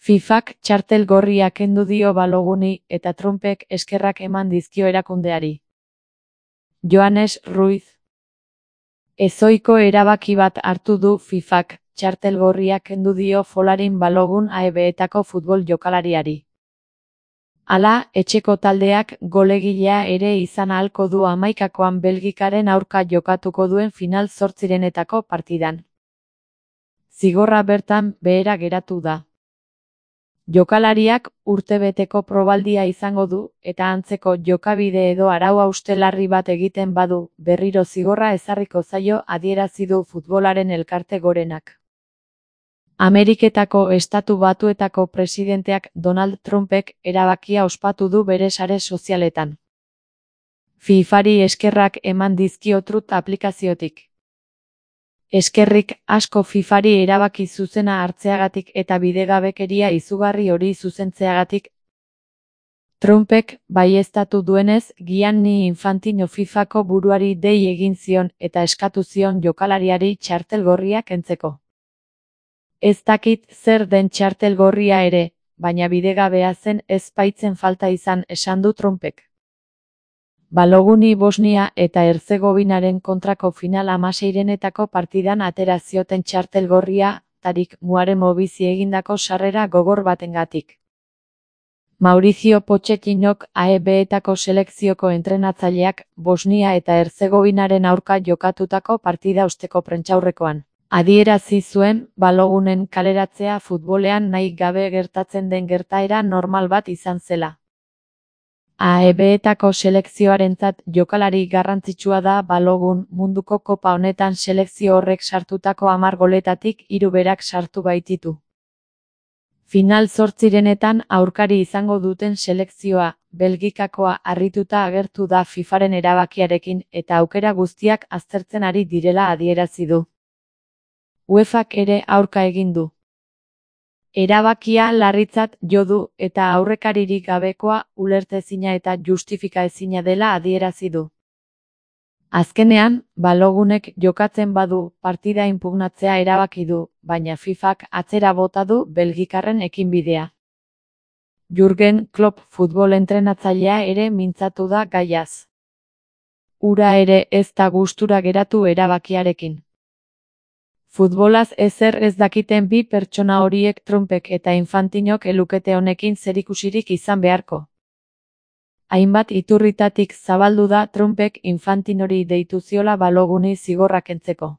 FIFak txartel gorria kendu dio Baloguni eta Trumpek eskerrak eman dizkio erakundeari. Joanes Ruiz. Ezohiko erabaki bat hartu du FIFak, txartel gorria kendu dio Folarin Balogun AEB-etako futbol jokalariari. Hala, etxeko taldeak golegilea ere izan ahalko du 11koan Belgikaren aurka jokatuko duen final zortzirenetako partidan. Zigorra bertan behera geratu da. Jokalariak urtebeteko probaldia izango du, eta antzeko jokabide edo arau hauste larri bat egiten badu, berriro zigorra ezarriko zaio adierazi du futbolaren elkarte gorenak. Ameriketako Estatu Batuetako presidenteak Donald Trumpek erabakia ospatu du bere sare sozialetan. FIFari eskerrak eman dizkio Truth aplikaziotik. Eskerrik asko FIFari erabaki zuzena hartzeagatik eta bidegabekeria izugarri hori zuzentzeagatik. Trumpek baieztatu duenez, Gianni Infantino FIFako buruari dei egin zion eta eskatu zion jokalariari txartel gorria kentzeko. Ez dakit zer den txartel gorria ere, baina bidegabea zen ez baitzen falta izan esan du Trumpek. Baloguni Bosnia eta Herzegovinaren kontrako final 16renetako partidan atera zioten txartel gorria, Tarik Muaremo bizi egindako sarrera gogor batengatik. Mauricio Pochettinok AEB-etako selekzioko entrenatzaileak Bosnia eta Herzegovinaren aurka jokatutako partida osteko prentsaurrekoan adierazi zuen Balogunen kaleratzea futbolean nahi gabe gertatzen den gertaera normal bat izan zela. AEB-etako selekzioarentzat jokalari garrantzitsua da Balogun munduko kopa honetan selekzio horrek sartutako 10 goletatik 3 berak sartu baititu. Final zortzirenetan aurkari izango duten selekzioa, Belgikakoa harrituta agertu da FIFaren erabakiarekin eta aukera guztiak aztertzen ari direla adierazi du. UEFak ere aurka egin du. Erabakia larritzat jo du eta aurrekaririk gabekoa, ulertezina eta justifikaezina dela adierazi du. Azkenean, Balogunek jokatzen badu partida inpugnatzea erabaki du, baina FIFak atzera bota du belgikarren ekinbidea. Jürgen Klopp futbol entrenatzailea ere mintzatu da gaiaz. Hura ere ez da gustura geratu erabakiarekin. Futbolaz ezer ez dakiten bi pertsona horiek Trumpek eta Infantinok elukete honekin zerikusirik izan beharko. Hainbat iturritatik zabaldu da Trumpek Infantinori deitu ziola Baloguni zigorra kentzeko.